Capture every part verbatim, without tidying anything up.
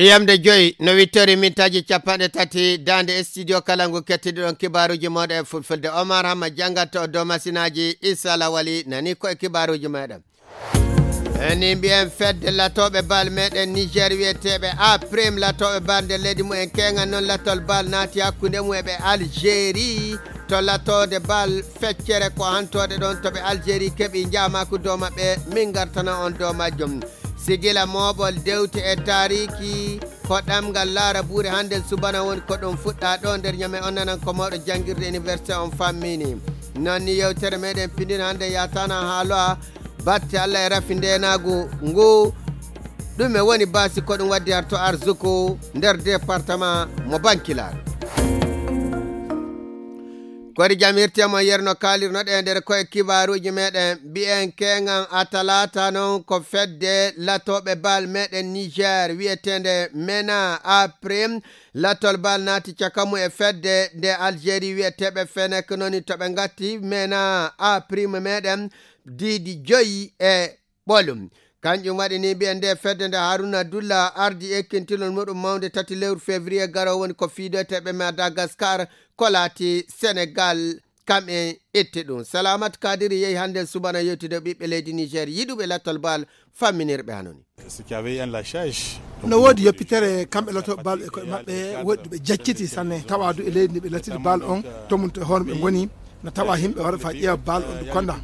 Yamde joyi no wittori mintaaji capanɗe tati daande studio kala ngu kettidiɗon kibaaruuji mooɗon e fulfulde. Omar Hamma janngatto o dow masinaaji Issa Lawali nani ko e kibaaruuji meɗen. Eni mbiyen fedde latooɓe bal meɗen Niger wiyeteeɓe A Prime latooɓe bal nder leydi mumen keeŋan noon latol bal naati hakkunde mum e ɓe Algérie to latoode bal feccere ko hantoode ɗon to ɓe Algérie keɓi njaamaaku dow maɓɓe min ngartana on dow majjum. Sigila mooɓol dewte e taariiki ko ɗamngal laara buure hannde subana woni ko ɗum fuɗɗa ɗo nder ñame on nanan ko mawɗo janngirde université on fammini. Noon ni yewtere meɗen pindin hannde yatana haaloa batte Allah e rafi ndenaagu ngu ɗume woni basi ko ɗum waddi har to arzuku nder département mo Bankilaar. Kori jam hirtemo yerno kalirnoɗe nder koye kibaruji meɗen mbiyen keŋan a talata non ko fedde latoɓe bal meɗen Niger wi'etende mena a prime latol bal naati cakamu e fedde nde Algérie wi'eteɓe fenek noni to ɓe gatti mena a prime meɗen diidi joyi e ɓolum. Kanƴum waɗi ni mbiyen nde fedde nde Haruna Dulla ardi ekkintilol muɗum mawnde tati lewru février garowo woni ko fiidoyteɓe Madagascar ko laati Sénégal kam en itti ɗum. Salamat Kadiri yehi hannde subana yewtude ɓiɓɓe leydi Niger yiɗuɓe lattol bal famminirɓe hanoni. No woodi yoppitere kamɓe lattol bal e koye maɓɓe woɗɗi ɓe jacciti sanne tawa du e leydi ndi ɓe lattidi bal on to mum to e hoore ɓe ngoni. No tawa yimɓe wara fa ƴeewa bal on ɗo konda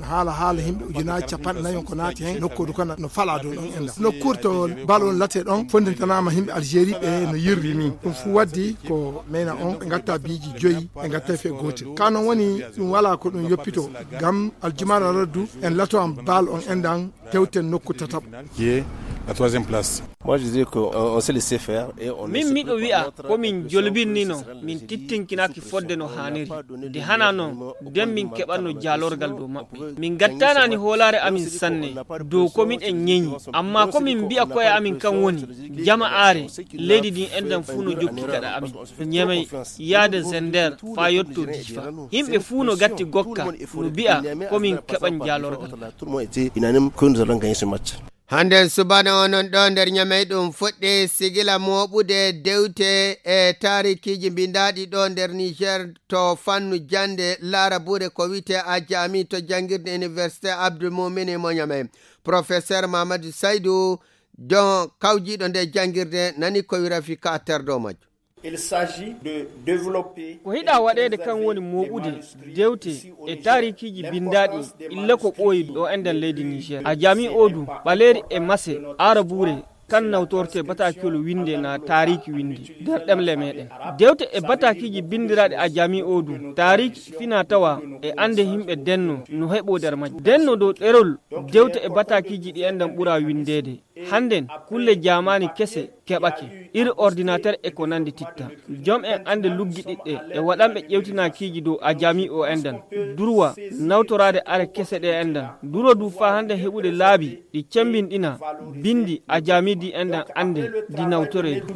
haala haala yimɓe ujunaaji capanɗe nayi on ko naati hen nokkuudu konda no fala dow ɗon enda nokkuure to bal on late ɗon fondintanama yimɓe Algérie ɓe no yirri ni ɗum fu waddi ko mena on ɓe gatta biiji joyi ɓe gatta fe gotel ka non woni ɗum wala ko ɗum yoppito gam aljumaare raddu en lato am bal on endan tewten nokku tataɓo. Qui est la troisième place. Moi, je dis que on, on s'est laissé faire et on min miɗo wi'a komin jolbinnino min tittinkinaki fodde no haniri nde hana noon nden min keɓanno jaalorgal dow maɓɓe min gattanani hoolaare amin sanne dow komin en ñeñi amma komin mbi'a koye amin kan woni jama aare leydi ndin enɗan fuu no jokki gaɗa amin ñemey yaade zender faa yotto difa yimɓe fuu no gatti gokka no mbi'a komin keɓan jaalorgal. Tout le monde était unanime que nous allons gagner ce match. Hannden subana onon ɗo nder ñamey ɗum fuɗɗi sigila mooɓude dewte e taarikiiji mbindaaɗi ɗo nder Niger to fannu jannde laarabuure ko wiyte a jaami to janngirde université Abdul Mumini mo ñamey. Professeur Mamadou Saydou don kawjiiɗo nde janngirde nani ko wira fi ka terdo majjo. Il s'agit de développer ko hiɗa waɗeede kan woni mooɓude dewte e taarikiiji binndaaɗi illa ko ɓooyi ɗo enɗan leydi Niger a jaami odu ɓaleeri e mase aarabuure kan nawtorte batakiyol winnde na taariki winnde nder ɗemle meɗen dewte e batakiiji binndiraaɗi a jaami odu taariki fina tawa e annde yimɓe denno no heɓo nder majji denno dow ɗerol dewte e batakiiji ɗi enɗan ɓura winndeede Hannden, kulle jaamaani kese keɓake, iri ordinateer e ko nanndi titta. Jom en annde luggiɗiɗɗe e waɗanɓe ƴeewtinaakiiji dow ajaami o enɗan, durwa nawtoraade are kese ɗe enɗan, durwa du faa hannde heɓude laabi ɗi cemmbinɗina binndi ajaami di enɗan annde di nawtoree du.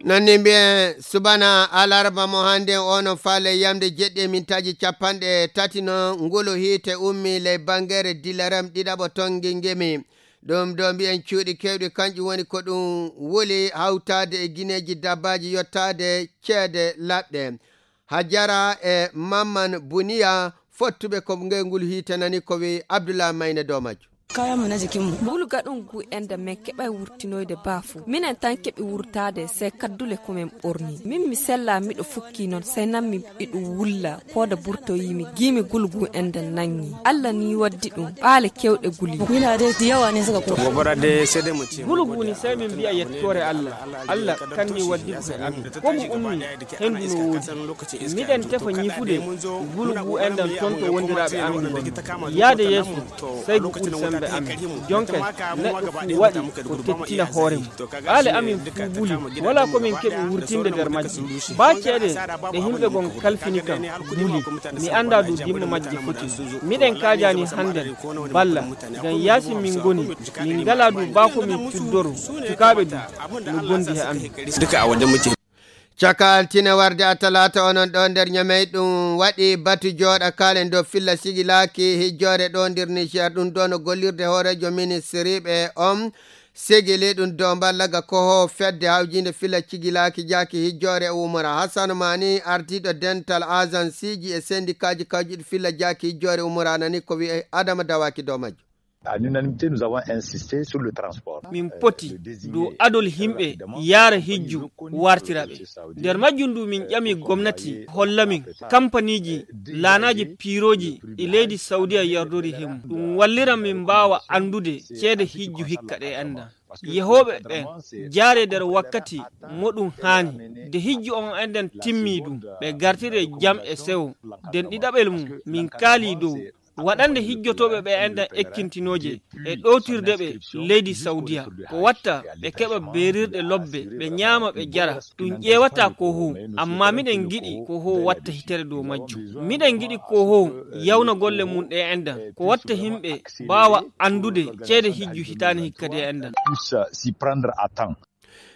Noon ni mbiyen subana alarba mo hannde o no faale yamde jeɗɗi e mintaaji capanɗe tati no ngulu hiite ummi ley banngere dilaram ɗiɗaɓo ton ngingimi ɗum ɗo mbiyen cuuɗi kewɗi kanƴum woni ko ɗum wuli hawtaade e gineeji dabbaaji yottaade ceede laɓɗe hajara e mamman buniya fottuɓe ko ngey ngulu hiite nani ko wi abdullah mayne dow majjo Kaya mo naji kimmo. Bulu gaɗon gu enda men keɓay wurtinoyde baa fuu. Minen tan keɓi wurtaade sey kaddule ko men ɓorni. Min mi sellaa miɗo fukkii non sey nanmi iɗum wulla kooda burtoyiimi giimi gulu gu enda nanŋi. Alla nii waddi ɗum ɓaale kewɗe guli. Gulu gu ni sey min mbi'a yettoore Alla. Alla kan nii waddi ɗum e amin. Ko ngu ummi henndu no woodi. Miɗen tefa ñifude gulu gu enɗan ton to wondiraaɓe amin ngoni. Yaade yeeso, sey gu ɓuri semmbe amin. Jonkay, neɗɗo fuu waɗi ko tettina hoore mum. Ɓaale amin fuu buli, walaa ko min keɓi wurtinde nder majji. Baa ceede ɗe yimɓe gon kalfini kam buli, mi anndaa du dimma majji foti. Miɗen kaajaani hannden balla, ngam yaasin min ngoni, min ngalaa du baa ko min cuddoro, cukaaɓe du no gondi he amin. Caka altine warde a talaata onon ɗo nder Ñamey, ɗum waɗi batu jooɗa kaalen dow filla sigilaaki hijjoore ɗo nder Niger. Ɗum ɗo no gollirde hooreejo ministiriiɓe on sigili ɗum dow mballaga koho fedde hawjiinde filla sigilaaki jaaki hijjoore e umora. Hassan Mani, ardiiɗo dental agenceeji e sendikaaji kawjiɗi filla jaaki hijjoore umora, nani ko wi'e Adama Dawaki dow majjum. À l'unanimité, nous avons insisté sur le transport. Min poti dow adol himɓe yaara hijju wartira ɓe. Nder majjum ndu min ƴami gomnati holla min kampaniiji laanaaji piirooji ɗi leydi Saudiya yardori hemu. Ɗum wallira min mbaawa anndude ceede hijju hikka ɗe annda. Yehooɓe ɓen jaare nder wakkati mo ɗum haani. De hijju on enɗan timmi ɗum, ɓe gartire jam e sewo. Nden ɗiɗaɓel mum, min kaali dow waɗande hijjotooɓe ɓe enɗan ekkintinooje e ɗowtirde ɓe leydi Saudiya. Ko watta ɓe keɓa beerirɗe lobbe, ɓe ñaama, ɓe jara. Ɗum ƴeewata ko how, amma miɗen ngiɗi ko how watta hitere dow majjum. Miɗen ngiɗi ko how yawna golle mum ɗe enɗan. Ko watta himɓe mbaawa anndude ceede hijju hitaani hikka de enɗan. Puisse s'y prendre à temps.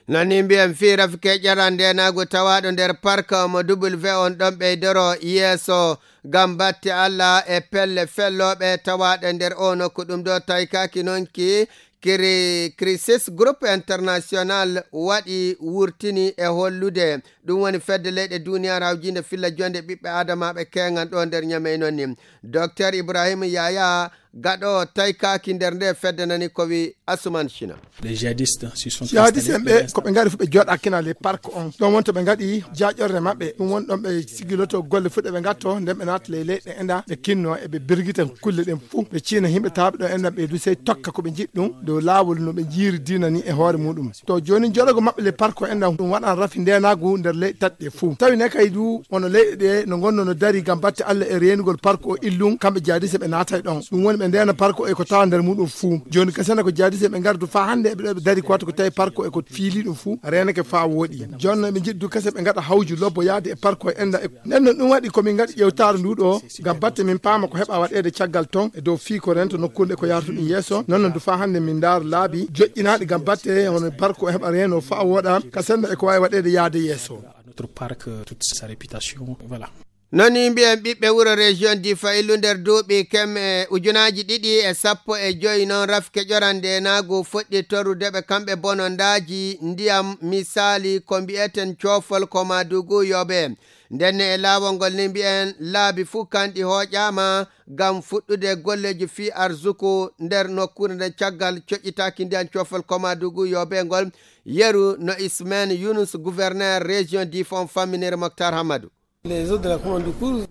Nani mbiyen fii rafike ƴaran ndenaagu tawaaɗo nder park mo W on ɗon ɓeydoro yeeso ngam batte Allah e pelle fellooɓe tawaaɗe nder o nokku. Ɗum ɗo taykaaki noon ki kiri Crisis Group International waɗi wurtini e hollude. Ɗum woni fedde leyɗe duniyaaru hawjiinde filla jonde ɓiɓɓe adamaaɓe keeŋan ɗo nder Ñamey noon ni. Docteur Ibrahim Yaya gaɗo taykaaki nder nde fedde nani ko wi Asuman Shina. Les jihadistes se sont jihadiste en ɓe ko ɓe ngari fof ɓe jooɗakina les parc on ɗon wonto ɓe ngaɗi jaƴorde maɓɓe ɗum woni ɗon ɓe sigiloto golle fuɗɗe ɓe ngatto nden ɓe naata ley leyɗe enɗa ɓe kinno eɓe birgita kulle ɗen fof ɓe ciina yimɓe tawɓe ɗo enɗa ɓe du sey tokka ko ɓe jiɗi ɗum dow laawol no ɓe jiiri diina ni e hoore muɗum. To jooni joɗogo maɓɓe le parc o enɗa ɗum waɗan rafi ndenagu nder leyɗe tati ɗe fof tawi ne kay du wono leyɗe ɗe no gonno no dari ngam batte Allah e reenugol parc o illum kamɓe jihadiste ɓe naatay ɗon ɗum woni ɓe ndena parc o e ko tawa nder muɗum fof. Jooni kasana ko jihadiste ɓe ngardu faa hannde eɓe ɗo ɓe dari ko watta ko tawi parc o e ko fiili ɗum fof reenake faa wooɗi. Jonno eɓe njiɗi du kase ɓe ngaɗa hawju lobbo yaade e parc o enɗa e nden non ɗum waɗi komin ngaɗi ƴewtaare ndu ɗo ngam batte min paama ko heɓa waɗeede caggal ton e dow fii ko rento nokkuure ko yartu ɗum yeeso non non du faa hannde min ndaara laabi joƴƴinaaɗi ngam batte hono parc o heɓa reeno faa wooɗa ka senda e ko waawi waɗeede yaade yeeso. Notre parc toute sa réputation voilà. Noni mbiyen ɓiɓɓe wuro région difa illu nder duuɓi keme ujunaaji ɗiɗi e sappo e joyi noon rafke ƴoran ndenaagu fuɗɗi torrude ɓe kamɓe bonondaaji ndiyam misaali ko mbi'eten coofol ko madugu yoɓe. Ndenne e laawol ngol ni mbiyen laabi fuu kanɗi hooƴaama ngam fuɗɗude golleeji fii arzuku nder nokkuure nden caggal coƴƴitaaki ndiyan coofol ko madugu yoɓe ngol. Yeru no Ismail Yunus gouverneur région difa on famminir Moktar Hammadu.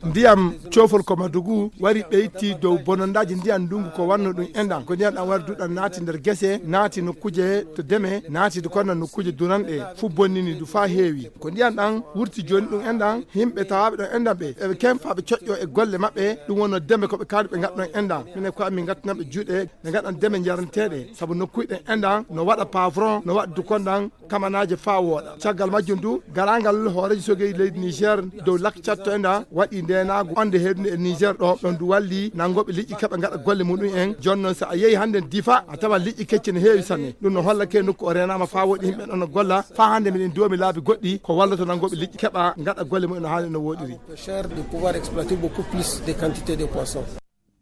Ndiyam coofol ko madugu wari ɓeyti dow bonondaaji ndiyam ndungu ko wanno ɗum enɗan ko ndiyam ɗam wari duɗan naati nder gese naati nokkuje to deme naati du konna nokkuje dunanɗe fuu bonnini du faa heewi ko ndiyam ɗam wurti jooni ɗum enɗan yimɓe tawaaɓe ɗon enɗan ɓe eɓe kemfa ɓe coƴƴo e golle maɓɓe ɗum wonno deme ko ɓe kaali ɓe ngaɗa ɗon enɗan minen ko amin ngattanamɓe juuɗe ɓe ngaɗan deme njaranteeɗe sabu nokkuuji ɗen enɗan no waɗa pavron no waɗa dukonɗan kamanaaje faa wooɗa caggal majjum du garaangal hooreejo sogeeji leydi niger dow lak catto enɗan waɗi ndenaagu onde heedunde e niger ɗo ɗon du walli nanngooɓe liƴƴi keɓa ngaɗa golle muɗum en jooni noon so a yehi hannden difa a tawa liƴƴi kecce ne heewi sanne ɗum no holla ke nokku o reenaama faa wooɗi yimɓe ɗon no golla faa hannde miɗen duwami laabi goɗɗi ko walloto nanngooɓe liƴƴi keɓa ngaɗa golle mumen no haani no wooɗiri. Cher de pouvoir exploiter beaucoup plus de quantité de poisson.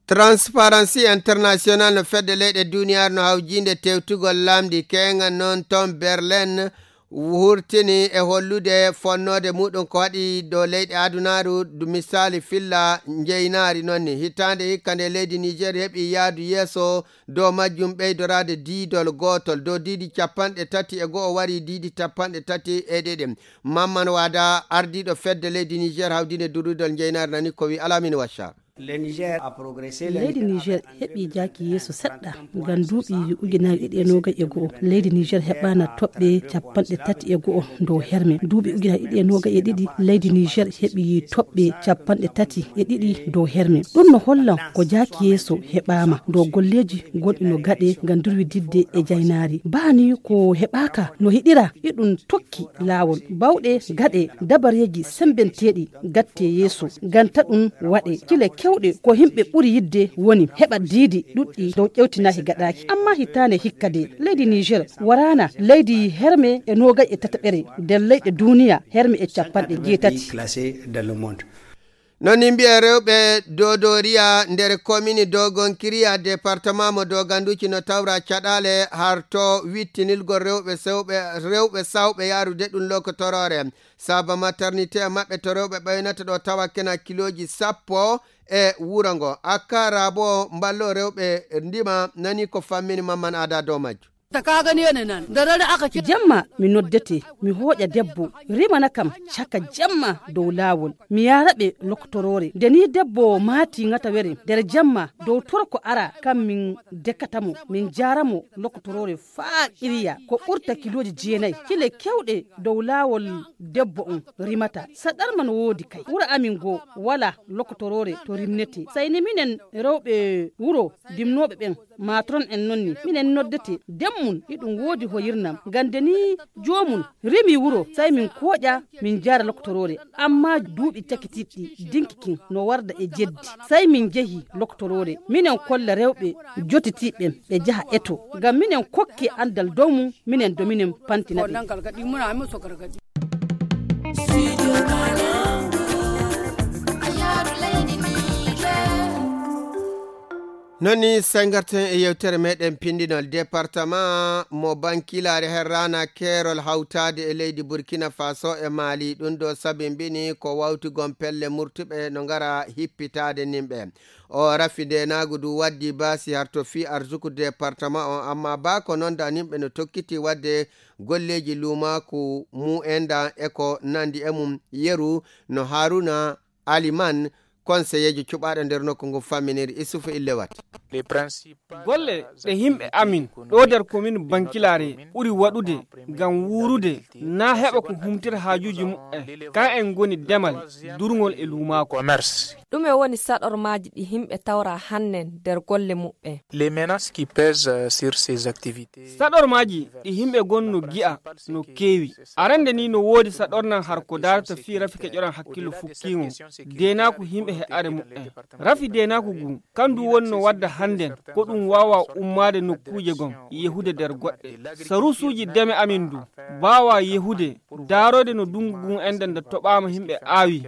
Transparency International no fedde leyɗe duniyaaru no hawjiinde tewtugol lamndi keeŋa noon toon Berlin wurtini e hollude fonnoode muɗum ko waɗi dow leyɗe adunaaru du misaali filla njeynaari noon ni hitaande hikka nde leydi Niger heɓi yaadu yeeso dow majjum ɓeydoraade diidol gootol dow diidi capanɗe tati e go'o wari diidi capanɗe tati e ɗiɗi. Mamman Wada ardiiɗo fedde leydi Niger hawdiinde durridol njeynaari nani ko wi Alamine Wacca. Leydi Niger heɓi jaaki yeeso seɗɗa ngam duuɓi ujunaaji ɗiɗi e noogay e go'o. Leydi Niger heɓaana toɓɓe capanɗe tati e go'o dow herme. Duuɓi ujunaaji ɗiɗi e noogay e ɗiɗi leydi Niger heɓi toɓɓe capanɗe tati e ɗiɗi dow herme. Ɗum no holla ko jaaki yeeso heɓaama dow golleeji gonɗi no gaɗe ngam durwididde e jaynaari. Baani ko heɓaaka no hiɗira iɗum tokki laawol. Bawɗe gaɗe dabareeji sembenteeɗi gatte yeeso ngam ta ɗum waɗe. Kile Tawde ko yimɓe ɓuri yiɗde woni heɓa diidi ɗuɗɗi dow ƴewtinaahi gaɗaaki. Amma hitaande hikka de, leydi Niger waraana leydi herme e noogay e tataɓere nder leyɗe duniya herme e capanɗe jeetati. Non ni mbiya rewɓe Dodoriya nder komini Dogon Kiriya, departement mo Doganduci, no tawra caɗaale harto wittinilgol rewɓe sewɓe, rewɓe sawɓe yarude ɗum lokotoroore. Saba maternité maɓɓe to rewɓe ɓaynata ɗo tawa kena kilooji sappo e wuro ngo. Akka Rabo mballo rewɓe ndima nani ko fammini Mamman Ada dow majjo. Jemma mi noddete, mi hooƴa debbo, rimana kam caka jemma dow laawol. Mi yaara ɓe lokotoroore. Nde ni debbo maati ŋatawere nder jemma dow torko ara, kam min dekata mo, min jaara mo lokotoroore faa qiriya ko ɓurta kilooji jeenayi. Kile kewɗe dow laawol debbo on rimata. Saɗɗarma no woodi kay. Wuro amin goo wala lokotoroore to rimnete. Say ni minen rewɓe wuro dimnooɓe ɓen, matron en non ni, minen noddete. Demmun iɗum woodi hoyirnam. Ngam nde ni joomum rimi wuro, say min kooƴa, min jaara lokotoroore. Amma duuɓi cakitiiɗi dinki kin no warda e jeddi. Say min jehi lokotoroore. Minen kolla rewɓe jotitiiɓe ɓe jaha eto. Ngam minen kokke andal dow mum, minen do minen pantina ɓe. Non ni sangarten e yewtere meɗen pindinol. Departement mo Bankilaare herrana keerol hawtaade e leydi Burkina Faso e Mali. Ɗum ɗo sabimbini ko wawtigon pelle murtuɓe no ngara hippitaade nimɓe. O rafi ndenaagu du waddi baasi harto fii arsuku departement on, amma baa ko non da nimɓe no tokkiti wadde golleeji luumaaku mu'en da e ko nandi e mum. Yeru no Haruna Aliman, konseyeejo cuɓaaɗo nder nokku ngun, famminiri Isufu Illewat. Golle ɗe yimɓe amin ɗo nder komin Bankilaare ɓuri waɗude ngam wuurude, na heɓa ko humtira haajuuji muɓɓen. Ka en ngoni demal, durngol e luumaaku. Ɗume woni saɗormaaji ɗi yimɓe tawra hannden nder golle muɓɓen? Les menaces qui pèsent, euh, sur ces activités. Saɗormaaji ɗi yimɓe gonno gi'a no keewi. Arande ni no woodi saɗornan har ko daarata fii rafi keƴoran hakkillo fukkiingo deenaaku yimɓe he are muɓɓen. Rafi deenaaku ngun, kandu woni no wadda hannden ko ɗum waawa ummaade nokkuuje gon, yehude nder goɗɗe. Sarusuuji deme amin du, baawa yehude, daaroyde no dungu ngun enden nde toɓaama yimɓe aawi,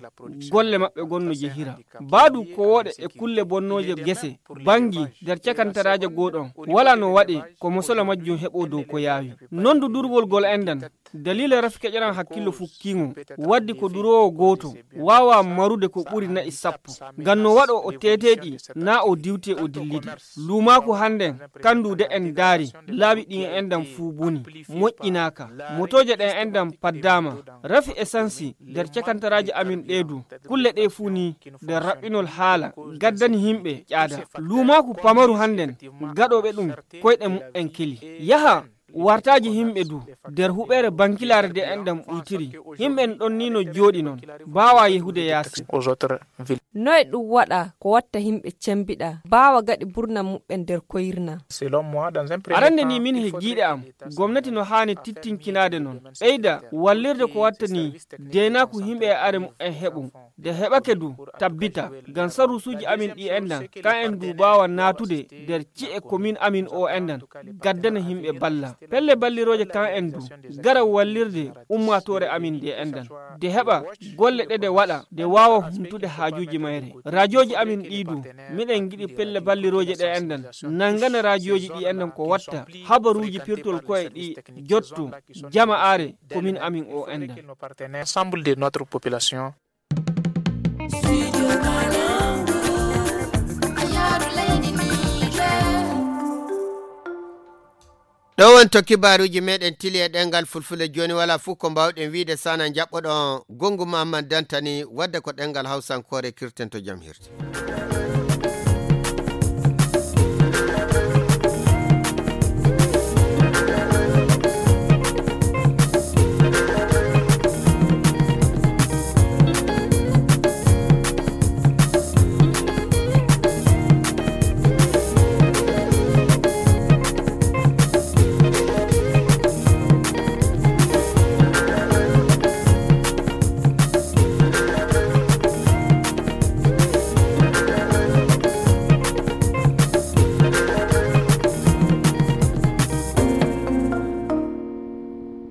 golle maɓɓe gonno jehira. Baadu ko woɗe e kulle bonnooje gese, bangi nder cakantaraaje gooɗon, wala no waɗe ko mosolo majjum heɓo dow ko yaawi. Non du durgol gol enden, daliila rafi keƴaran hakkillo fukkiingo, waddi ko duroowo gooto waawa marude ko ɓuri na'i sappo. Ngam no waɗo o teeteeɗi, na o diwte o dillidi. Luumaaku hannden, kandu de en daari, laabi ɗin enden fuu buni, moƴƴinaaka. Motooje ɗen enden paddaama. Rafi esansi nder cakantaraaji amin ɗee du, kulle ɗee fuu ni nder raɓɓinol haala, gaddani yimɓe ƴaada. Luumaaku pamaru hannden, gaɗooɓe ɗum, koyɗe muɓɓen keli. Yaha, wartaaji yimɓe du, nder huɓeere Bankilaare de enɗam ɓuytiri. Yimɓen ɗon ni no jooɗi non, baawa yehude yaasi. Noy ɗum waɗa ko watta yimɓe cembiɗa, baawa gaɗi burna muɓɓen nder koyirna? Arande ni min he giiɗe am, gomnati no haani tittinkinaade non. Ɓeyda wallirde ko watta ni, deenaaku yimɓe e are muɓɓen heɓu. De heɓake du, tabbita, ngam sarusuuji amin ɗi enɗan, ka en du baawa naatude nder ci'e komin amin o enɗan, gaddana yimɓe balla. Pelle ballirooje ka en du, gara wallirde ummaatoore amin nde enɗan. De heɓa golle ɗe de waɗa, de waawa humtude haajuuji mayre. Raajooji amin ɗi du, miɗen ngiɗi pelle ballirooje ɗe enɗan, nangana raajooji ɗi enɗan ko watta, habaruuji pirtol ko'e ɗi jotto, jama'aare, komin amin o enɗan. Ensemble de notre population. Ɗo wonto kibaaruuji meɗen tili e ɗengal Fulfulde. Jooni wala fuu ko mbawɗen wiide sana jaɓɓoɗon Gongu Muhammad Dantani, wadde ko ɗengal Hawsankoore kirten to jam hirti.